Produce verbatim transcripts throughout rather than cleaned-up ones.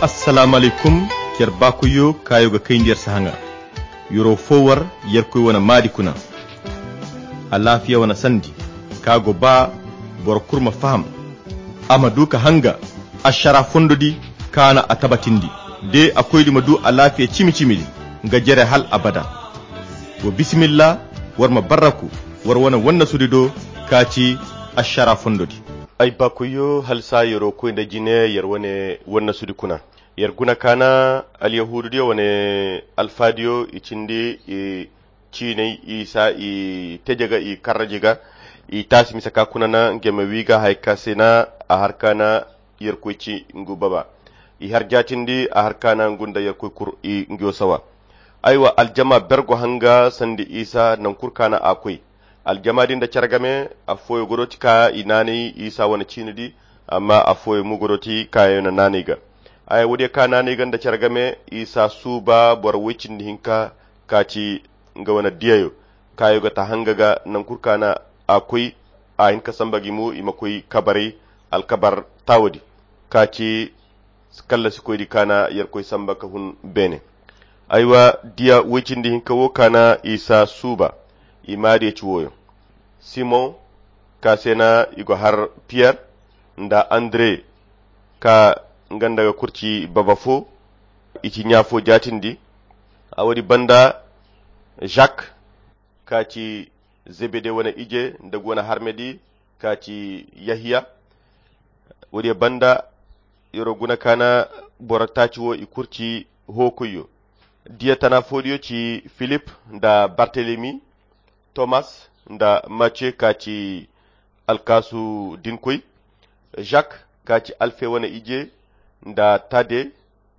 Assalaamu alaykum. Yer baakoyyo kaayo ga kayndi yer sahaŋa. Yer'o foo war yerkoy wane maadi kuna. Alaafiya wane sandi ka go ba boro kul ma faham, a ma du ka hanga ašara fondo di kaana a tabatindi. De a koydi ma du alaafiya cimi-cimi di nga jere hal abada. Wo bisimilla, war ma barraku war wane wannasudi do ka ci ašara fondo di. Ay baakoyyo, halsa yer'o koy nda jine yer wane wannasudi kuna. Yer guna kaana alyahuududiyo wane alfaadiyo i cindi i ciinay isa i teje ga i karraji ga. I taasi mise ka kuna na ngey ma wii ga haya ka se na a har kaana yerkoy ci ngu baba. I har jaatindi a har kaana ngu nda yerkoy kur i nguyo sawa. Aywa aljama ber go hanga sandi isa nankul kaana a koy. Aljama din nda care game affooyo godooti ka i naanay isa wane ciini di. Amma affooyo mo godooti kaayo na naanay ga. Ay woodiyo ka naanay ga nda care game isa suuba boro woy cindi hinka ka ci nga wane diyayo kaayo ga ta hanga ga nankul kaana a koy. A hin ka samba gi mo i ma koy kabaray alkabar taawo di ka ci kallasikoy di kaana yerkoy samba ka hun beene. Aywa diya woy cindi hinka wo kaana isa suuba. I maadiyo ci wooyo simon ka se na i go har piyer nda andre ka nga nda ga kurci baba fo. I ci ɲa fo jaatindi. A woodi banda jak ka ci zebede wane ije nda go wane harme di ka ci yahiya. Woodiyo banda yer'o guna kaana boro taaci wo i kurci hookoyyo. Diya tana foodiyo ci filip nda bartelemi, tomas nda macce ka ci alkaasu dinkoy, jak ka ci alfe wane ije nda tade,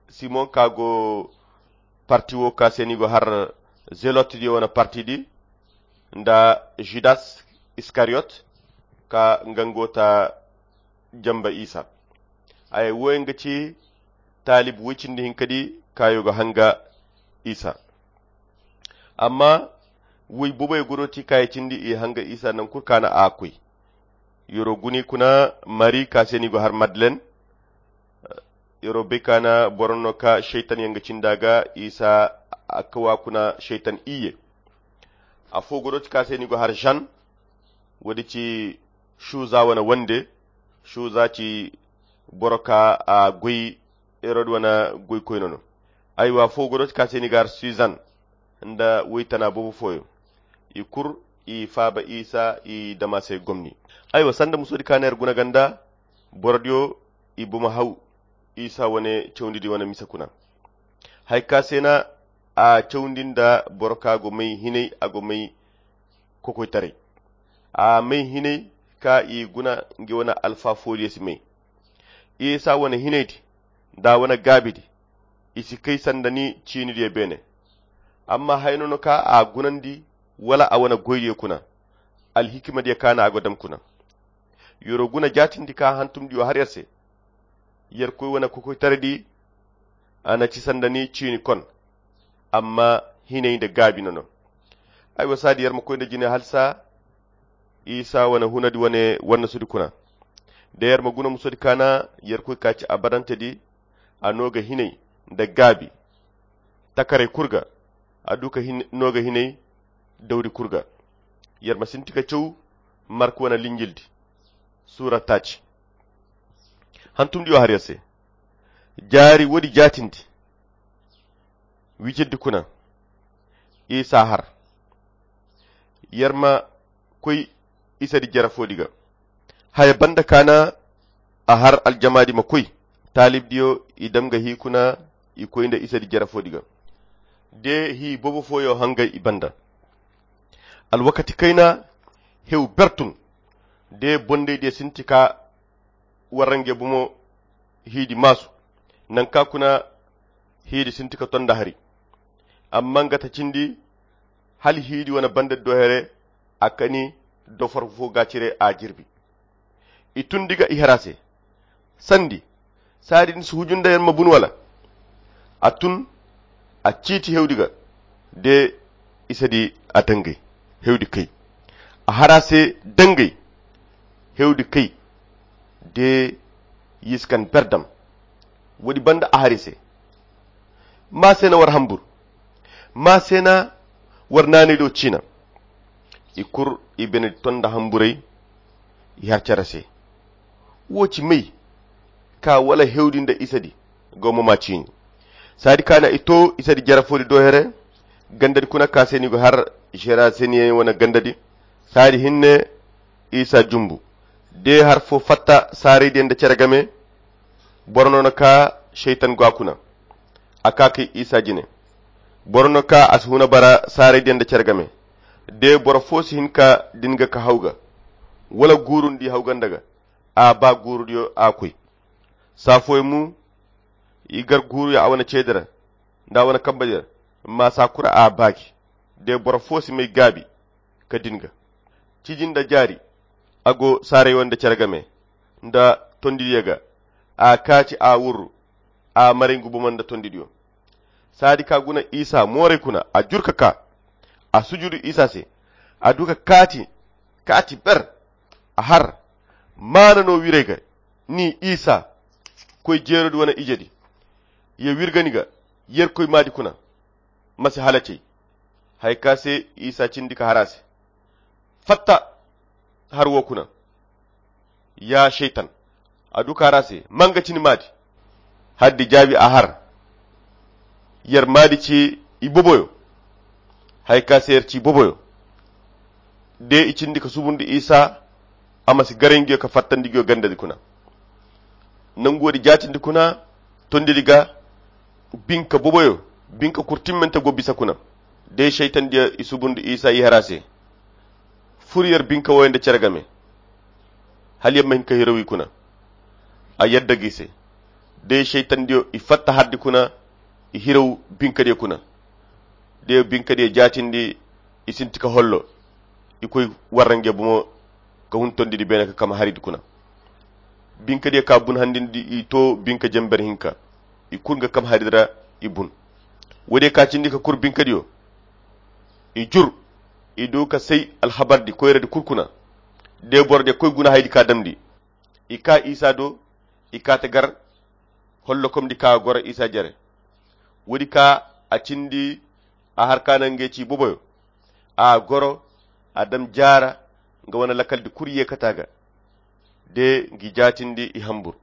simon ka go parti wo ka se ni go har zelot diyo wane parti di nda judas iskariyot ka nga ngo ta jamba isa. Ay woy nga ci taalib woy cindi hinka di kaayo ga hanga isa. Amma woy booboyo godooti kaayo cindi i hanga isa nankul kaana a koy. Yer'o guni kuna mari ka se ni go har madlen. Yer'o bay kaana boro no ka seytan yaŋ ga cinda ga isa a kawa kuna seytan iyye. Affo godooti ka se ni go har jan. Woodi ci suza wane wande. Suza ci boro ka a goy herod wane goykoyno no. Aywa fo godooti ka se ni gar suzan nda woytana boobo fooyo. I kul i faaba isa i dama se gomni. Aywa sanda musoodi ka neera guna ganda borodiyo i bomo haw isa wane cawndidi wane mise kuna. Hari ka se na a cawndi nda boro ka go may hinay a go may kokoytaray. A may hinay ka i guna nga wane alfa fooliyo si may. Isa wane hinaydi nda a wane gaabidi i si kay sanda ni ciinidiyo beene. Amma hayno no ka a gunandi wala a wane goydiyo kuna. Alhikimadiyo ka na a go dam kuna. Yoro guna jaatindi ka hantumdiyo har yer se. Yerkoy wane kokoytaraydi a na ci sanda ni ciini kon. Amma hinay nda gaabi no no. Ay wa saadi yer ma koy nda jine halsa isa wane hunadi wane wannasudi kuna. Da yer ma guna musodi ka na yerkoy ka ci abadantedi. A no ga hinay nda gaabi takaray kul ga. A du ka no ga hinay dawdi kul ga. Yer ma sinti ka caw marka wane linjildi. Suura taaci hantumdiyo har yer se. Jaari woodi jaatindi wijirdi kuna isa har. Yer ma koy isadi jere foodi ga. Haya banda ka na a har aljamaadi ma koy. Taalibdiyo i dam ga hii kuna i koy nda isadi jere foodi ga. De hii boobo fooyo hangay i banda. Alwakati kayna hew bertun de bondaydiyo sinti ka warrangey bomo hiidi maasu. Nanka kuna hiidi sinti ka ton nda hari. Amma nga ta cindi hala hiidi wane banda do here a kani dofar fo ga cire a jirbi. I tun diga i hera se sandi saadi ni si huju nda yer ma bunu wala? A tun a ciiti hewdi ga de isadi a dangay hewdi kay. A hara se dangay hewdi kay de yiskan berdam. Woodi banda a hari se. Maa se na war hambur. Maa se na war naanay do ciina. I kur i bene ton nda hamburay. I har care se. Wo ci may ka wala hewdi nda isadi. Gomma ma ciini. Saadi ka na i to isadi jarafoodi do here. Gandadi kuna ka se ni go har. Jera se ni wane gandadi. Saadi hinne isa jumbu. De har fo fatta saaraydiyaŋ nda care game. Boro no na ka seytan go a kuna. A ka kay isa jine. Boro no ka a si huna bara saaraydiyaŋ nda care game. De boro fo si hin ka din ga ka haw ga. Wala guurundi haw ganda ga. A ba guurudiyo a koy. Saa fooyaŋ mo i gar guuruyo a wane ceedi ra. Nda a wane kamba di ra. Amma saa kura a baagi. De boro fo si may gaabi ka din ga. Ciji nda jaari. A go saaray wanda care game nda tondidiyo ga. A kaaci a wurru. A maray ngu buma nda tondidiyo. Saadi ka guna isa mooray kuna a jur ka ka. A sujudu isa se. A du ka kaati kaati ber. A har maana no wiray ga. Ni isa koy jeerodi wane ijedi. Ye wirga ni ga yerkoy maadi kuna. Ma si halacey. Haya ka se isa cindi ka har a se. Fatta har wo kuna. Ya seytan. A du ka har a se manga cini maadi. Haddi jaabi a har. Yer maadi ci i boboyo. Haya ka se yer ci boboyo. De i cindi ka subundi isa. A ma si garay nguyo ka fattandi nguyo gandadi kuna. Nangu woodi jaatindi kuna. Tondidi ga binka boboyo. Binka kurtimmante go bisa kuna. De seytandiyo i subundi isa i har a se. Fur yer binka woyo nda care game. Hala yer ma hin ka hiraw i kuna. A yadda ga i se. De seytandiyo i fatta hardi kuna. I hiraw binkadiyo kuna. De binkadiyo jaatindi. I sinti ka hollo. I koy warra nge bomo. Ka hun tondidi beene ka kama haridi kuna. Binkadiyo ka bun handindi i to binka jember hinka. I kul nga kama haridi ra. I bun. Woodiyo ka cindi ka kur binkadiyo. I jur. I du ka say alhabardi koyradi kul kuna. De borodiyo koy guna haydi ka damndi. I ka isa do. I ka ta gar. Hollokomdi ka goro isa jere. Woodi ka a cindi. A har ka na nge ci boboyo. A goro. A dam jaara. Nga wane lakaldi kul ye kata ga. De ngi jaatindi i hambur.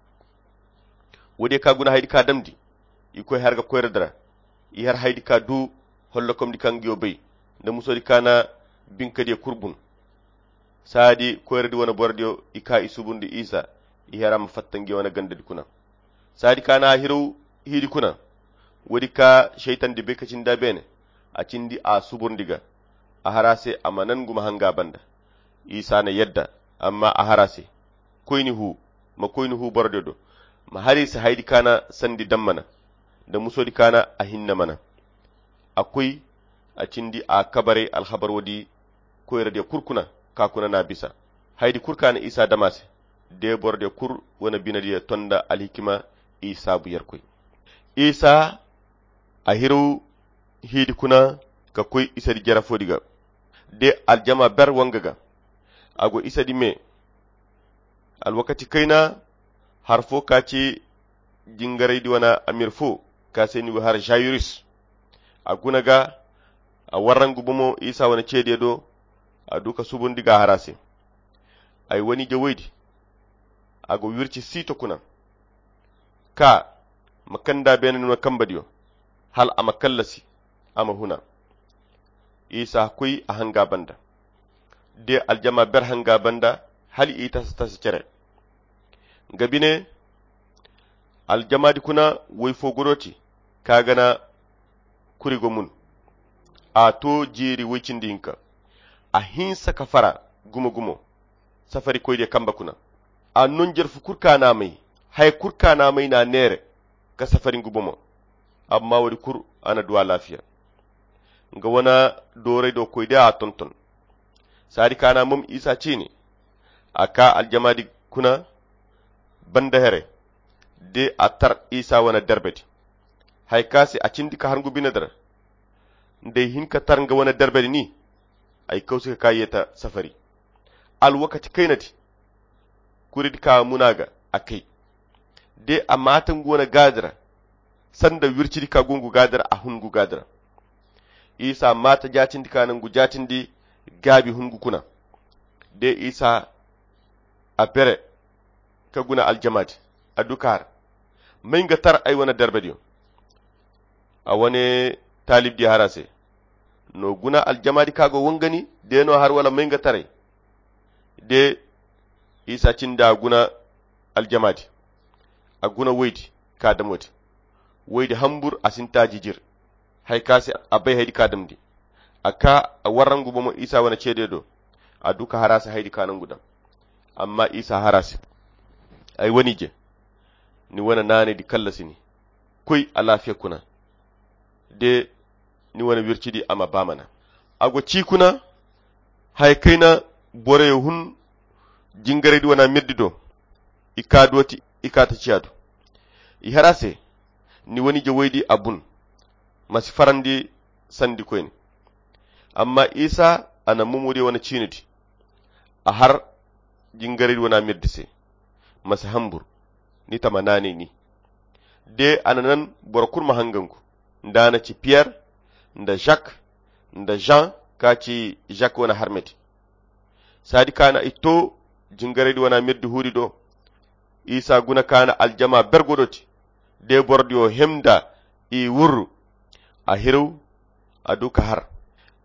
Woodiyo ka guna haydi ka damndi. I koy har ga koyradi ra. I har haydi ka du. Hollokomdi ka ngiyo bay. Nda musoodi ka na binkadiyo kul bun. Saadi koyradi wane borodiyo i ka i subundi isa. I har a ma fatta ngiyo wane gandadi kuna. Saadi ka na a hiraw hiidi kuna. Woodi ka seytandi bay ka cindi a beene. A cindi a suburndi ga. A har a se a ma nan guma hanga banda. Isa na yadda. Amma a har a se. Koyni hu. Ma koyni hu borodiyo do. Ma har i se haydi ka na sandi dammana. Nda musoodi ka na a hinne mana. A koy. A cindi a kabaray alhabar woodi. Koyradiyo kul kuna ka kuna na bisa. Haydi kul ka na isa dama se. De borodiyo kul wane binadiyo tonda alhikima. I saabu yerkoy. Isa a hiraw hiidi kuna ka koy isadi jarafoodi ga. De aljama ber wanga ga. A go isadi me. Alwakati kayna har fo ka ci jingaraydi wane amir fo ka se ni go har jayirus. A guna ga. A warrangu bomo isa wane ceediyo do. A du ka subundi ga har a se. Ay wane jawaydi. A go wirci siito kuna. Ka ma kanda beene ni wane kambadiyo. Hala a ma kallasi. A ma huna. Isa koy a hanga banda. De aljama ber hanga banda. Hala i tasa tasa cere. Nga bine. Aljamaadi kuna woy fo godooti. Ka gana kuri go mun. A to jeeri woy cindi hinka. A hinsa ka fara gumo gumo. Safari koydiyo kamba kuna. A non jerfu kul ka na a may. Haya kul ka na a may na a neere. Ka safari ngu bomo. Amma woodi kul a na du alaafiya. Nga wane dooray do koydiyo a tonton. Saadi ka na a mom isa ciini. A ka aljamaadi kuna. Banda here. De a tar isa wane derbedi. Haya ka se a cindi ka har ngu bine dira. Nda ay hin ka tar nga wane derbedi ni. Ay kawsi ka ka yeeta safari. Alwakati kaynadi. Kuridi ka muna ga a kay. De a maata ngu wane gaadi ra, sanda wircidi ka go ngu gaadi ra, a hun ngu gaadi ra. Isa maata jaatindi ka na ngu jaatindi gaabi hun ngu kuna. De isa a bere ka guna aljamaadi, a du ka har, may nga tar ay wane derbediyo. A wane taalibdi har a se, no guna aljamaadi ka go wangani, de no har wala may nga taray? De isa cindi a guna aljamaadi, a guna woydi ka damodi. Woydi hambur a sinta jijir, hay ka se a bay haydi ka damdi. A ka a warra ngu bomo isa wane ceede do. A du ka har a se haydi ka na ngu dam. Amma isa har a se, ay wane ije, ni wane naanaydi kallasi ni. Koy alaafiya kuna, de ni wane wircidi a ma ba mana. A go ci kuna, haya kayna boroyo hun jingaraydi wana mirdi do. I ka dooti, i ka ta ciya do. I har a se, ni wane ije woydi a bun, ma si farandi sandi koyne. Amma isa a na mumuriyo wane ciinidi, a har jingaraydi wana mirdi se, ma si hambur, ni tama naanay ni. De a na nan boro kulu ma hangangu, nda a na ci piyer, nda jak, nda jan ka ci jak wane harmedi. Saadi ka na i to jingaraydi wana mirdi huudi do, isa guna ka na aljama bergo dooti. De borodiyo hem nda i wurru, a hiraw, a du ka har.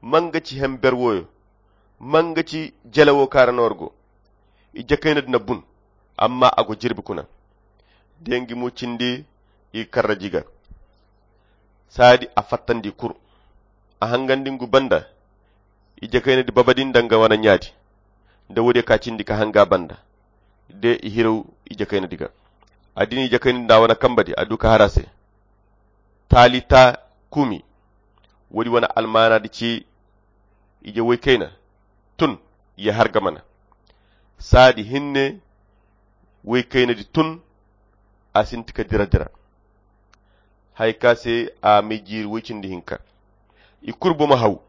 Manga ci hem ber woyo? Manga ci jele wo kaara noor go? Ije kayna di na bun, amma a go jirbi kuna. Dengi mu cindi i karraji ga. Saadi a fattandi kur, a hangandi ngu banda. Ije kayna di babadi nda nga wana ɲaadi, nda woodiyo ka cindi ka hanga banda. De i hiraw ije kayna di ga. A dini ije kayna di nda a wana kambadi, a du ka har a se, talita kumi. Woodi wane almaana di ci, ije woy kayna, tun, ya har ga mana. Saadi hinne woy kayna di tun, a sinti ka dira dira. Hay ka se a may jiiri woy cindi hinka. I kulu bomo haw.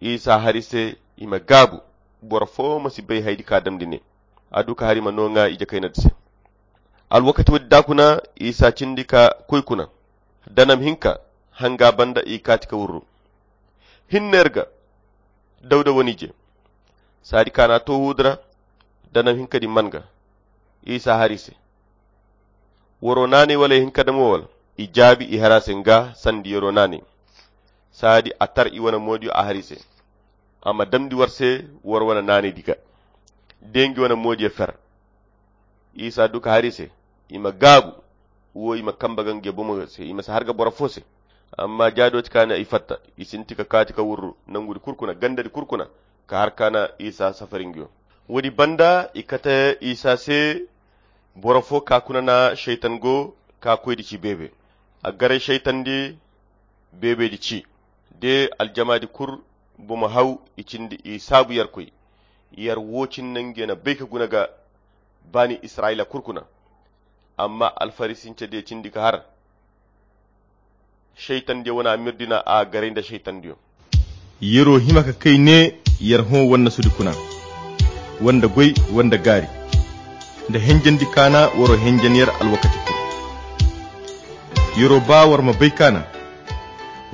Isa hari se i ma gaabu, boro fo ma si bay haydi ka damndi ne. A du ka hari ma nooŋa ije kayna di se. Alwakati woodi da kuna isa cindi ka koy kuna. Danam hinka hanga banda i kaati ka wurru. Hinne yer ga, dawda wane ije. Saadi ka na a to huudi ra, danam hinka di man ga. Isa hari se, woro naanay wala ya hinka damo wala? I jaabi i har a se nga sandi yero naanay. Saadi a tar i wane moodiyo a har i se, a ma damndi war se war wane naanay di ga. Dengi wane moodiyo fer. Isa du ka har i se, i ma gaabu, wo i ma kamba ga nge bomo se, i ma si har ga boro fo se. Amma jaado ti ka na i fatta, i sinti ka kaati ka wurru nangudi kurkuna gandadi kurkuna, ka har ka na isa safari ngiyo. Woodi banda i kate isa se, boro fo ka kuna na seytan go ka koydi ci beebe. A garay seytan di beebe di ci, de aljama di kur bomo haw i cindi i saabu yer koy. Yer wo cin nange na bay ka guna ga baani israyila kurkuna. Amma alfarisince diyo cindi ka har, seytandiyo wane a mirdina a garay nda seytandiyo. Yero hima ka kay ne, yer hõ wannasudi kuna, wanda goy, wanda gaari, nda henjandi kaana waro henjan yer alwakati kulu. Yero ba war ma bay kaana,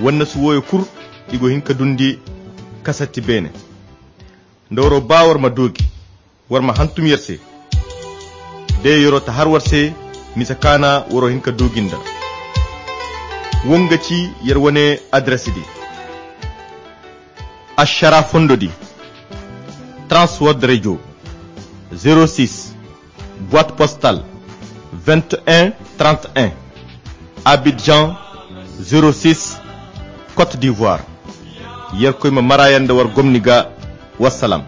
wannasu wooyo kul i go hin ka dundi kasatti beene. Nda waro ba war ma doogi, war ma hantum yer se. De yero ta har war se, misa kaana waro hin ka doogi nda. Wonga ci yer wane adres di. Ashara fondo di, transword radio, zero six, boîte postale, vingt et un trente et un, Abidjan, zero six, Côte d'Ivoire. Yer koy ma maraya nda war gomni ga. Wassalam.